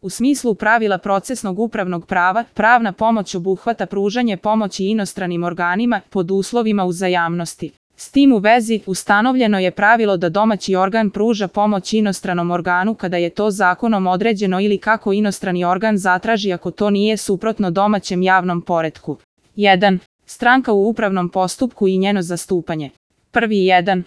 U smislu pravila procesnog upravnog prava, pravna pomoć obuhvata pružanje pomoći inostranim organima pod uslovima uzajamnosti. S tim u vezi, ustanovljeno je pravilo da domaći organ pruža pomoć inostranom organu kada je to zakonom određeno ili kako inostrani organ zatraži ako to nije suprotno domaćem javnom poretku. 1. Stranka u upravnom postupku i njeno zastupanje. 1.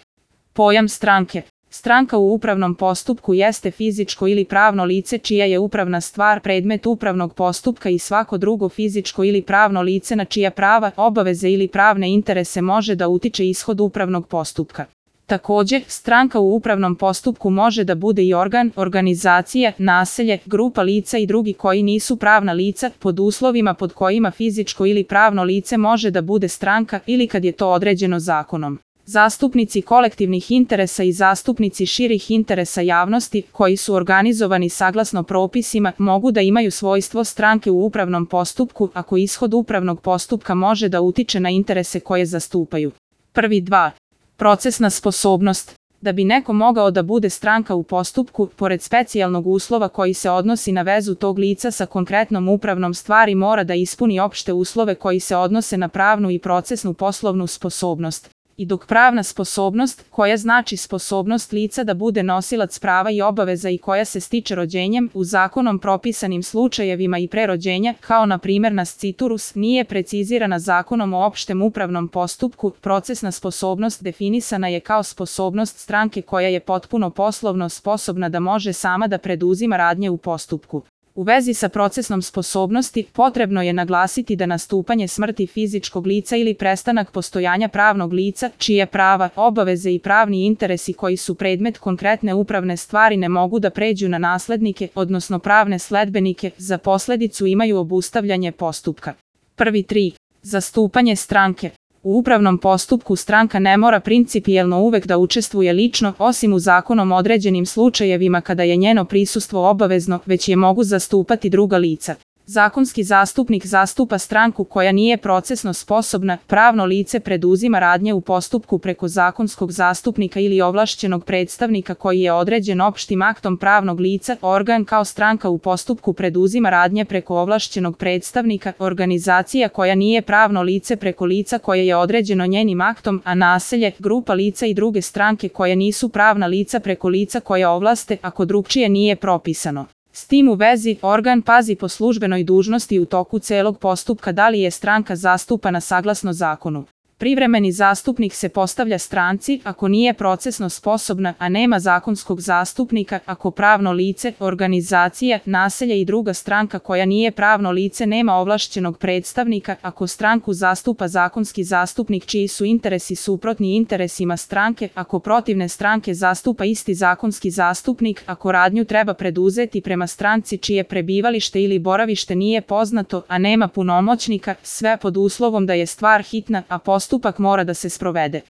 Pojam stranke. Stranka u upravnom postupku jeste fizičko ili pravno lice čija je upravna stvar predmet upravnog postupka i svako drugo fizičko ili pravno lice na čija prava, obaveze ili pravne interese može da utiče ishod upravnog postupka. Također, stranka u upravnom postupku može da bude i organ, organizacija, naselje, grupa lica i drugi koji nisu pravna lica, pod uslovima pod kojima fizičko ili pravno lice može da bude stranka ili kad je to određeno zakonom. Zastupnici kolektivnih interesa i zastupnici širih interesa javnosti, koji su organizovani saglasno propisima, mogu da imaju svojstvo stranke u upravnom postupku ako ishod upravnog postupka može da utiče na interese koje zastupaju. 2. Procesna sposobnost. Da bi neko mogao da bude stranka u postupku, pored specijalnog uslova koji se odnosi na vezu tog lica sa konkretnom upravnom stvari mora da ispuni opšte uslove koji se odnose na pravnu i procesnu poslovnu sposobnost. I dok pravna sposobnost, koja znači sposobnost lica da bude nosilac prava i obaveza i koja se stiče rođenjem, u zakonom propisanim slučajevima i pre rođenja, kao na primjer nasciturus, nije precizirana zakonom o opštem upravnom postupku, procesna sposobnost definisana je kao sposobnost stranke koja je potpuno poslovno sposobna da može sama da preduzima radnje u postupku. U vezi sa procesnom sposobnosti, potrebno je naglasiti da nastupanje smrti fizičkog lica ili prestanak postojanja pravnog lica, čije prava, obaveze i pravni interesi koji su predmet konkretne upravne stvari ne mogu da pređu na naslednike, odnosno pravne sledbenike, za posledicu imaju obustavljanje postupka. 3. Zastupanje stranke. U upravnom postupku stranka ne mora principijelno uvek da učestvuje lično, osim u zakonom određenim slučajevima kada je njeno prisustvo obavezno, već je mogu zastupati druga lica. Zakonski zastupnik zastupa stranku koja nije procesno sposobna, pravno lice preduzima radnje u postupku preko zakonskog zastupnika ili ovlašćenog predstavnika koji je određen opštim aktom pravnog lica, organ kao stranka u postupku preduzima radnje preko ovlašćenog predstavnika, organizacija koja nije pravno lice preko lica koje je određeno njenim aktom, a naselje, grupa lica i druge stranke koje nisu pravna lica preko lica koje ovlaste, ako drugčije nije propisano. S tim u vezi, organ pazi po službenoj dužnosti u toku celog postupka da li je stranka zastupana saglasno zakonu. Privremeni zastupnik se postavlja stranci ako nije procesno sposobna, a nema zakonskog zastupnika, ako pravno lice, organizacija, naselje i druga stranka koja nije pravno lice nema ovlašćenog predstavnika, ako stranku zastupa zakonski zastupnik čiji su interesi suprotni interesima stranke, ako protivne stranke zastupa isti zakonski zastupnik, ako radnju treba preduzeti prema stranci čije prebivalište ili boravište nije poznato, a nema punomoćnika, sve pod uslovom da je stvar hitna, a postupak mora da se sprovede.